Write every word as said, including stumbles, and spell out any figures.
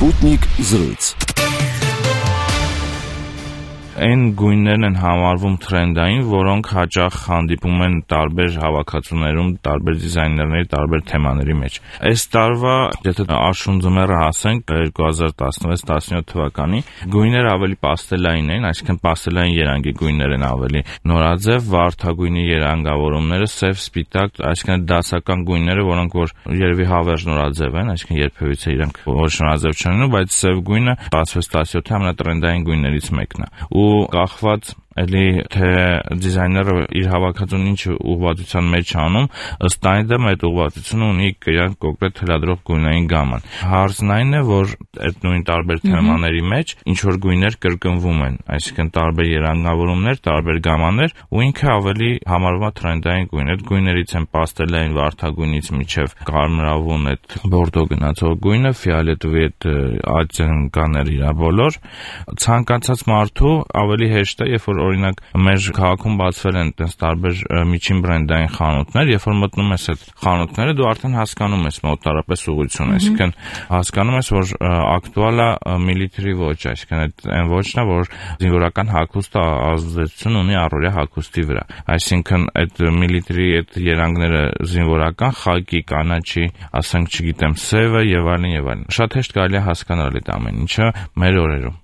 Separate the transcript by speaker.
Speaker 1: Sputnik զրույց։
Speaker 2: Այն գույներն են համարվում թրենդային, որոնք հաճախ հանդիպում են տարբեր հավաքածուներում, տարբեր դիզայներների, տարբեր թեմաների մեջ։ Այս տարվա, եթե աշուն ձմեռը հասենք երկու հազար տասնվեց տասնյոթ թվականի, գույները ավելի պաստելային են, այսինքն պաստելային երանգի գույներ են ավելի նորաձև, վարդագույնի երանգավորումները սև, սպիտակ, այսինքն դասական գույները, որոնք որ երևի հավերժ նորաձև են, այսինքն երբևիցե իրենք ոչ նորաձև չեն լինում, բայց սև գույնը տասնվեց տասնյոթի ամենատրենդային գույներից մեկն է։ Ու կախված էլի թե դիզայները իր հավաքածուն ինչ ուղղվածության մեջ անում, ըստ այնդեմ այդ ուղղվածությունը ունի իրան կոնկրետ թելադրող գույնային գաման։ Հարցն այն է, որ այդ նույն տարբեր թեմաների մեջ ինչ որ գույներ կրկնվում են, այսինքն տարբեր երանգավորումներ, տարբեր գամաներ, ու ինքը ավելի համարվում է թրենդային գույն։ Այդ գույներից են պաստելային վարդագույնից մինչև կարմրավուն այդ բորդո գնացող գույնը, ֆիոլետովի այդ ատյանկաներ իրա բոլոր։ Ցանկացած մարդու ավելի հեշտ է, երբ որ օրինակ մեր քաղաքում բացվել են այդպես տարբեր միջին բրենդային խանութներ, երբ որ մտնում ես այդ խանութները, դու արդեն հասկանում ես մոտարապես ուղղությունը, այսինքն հասկանում ես, որ ակտուալ է միլիթրի ոճ, այսինքն այդ այն ոճն է, որ զինվորական հագուստը ազդեցություն ունի առօրյա հագուստի վրա, այսինքն այդ միլիթրի այդ երանգները զինվորական, խակի, կանաչի, ասենք չգիտեմ, սևը եւ այլն եւ այլն։ Շատ հեշտ կարելի է հասկանալ այդ ամեն ինչը մեր օրերում։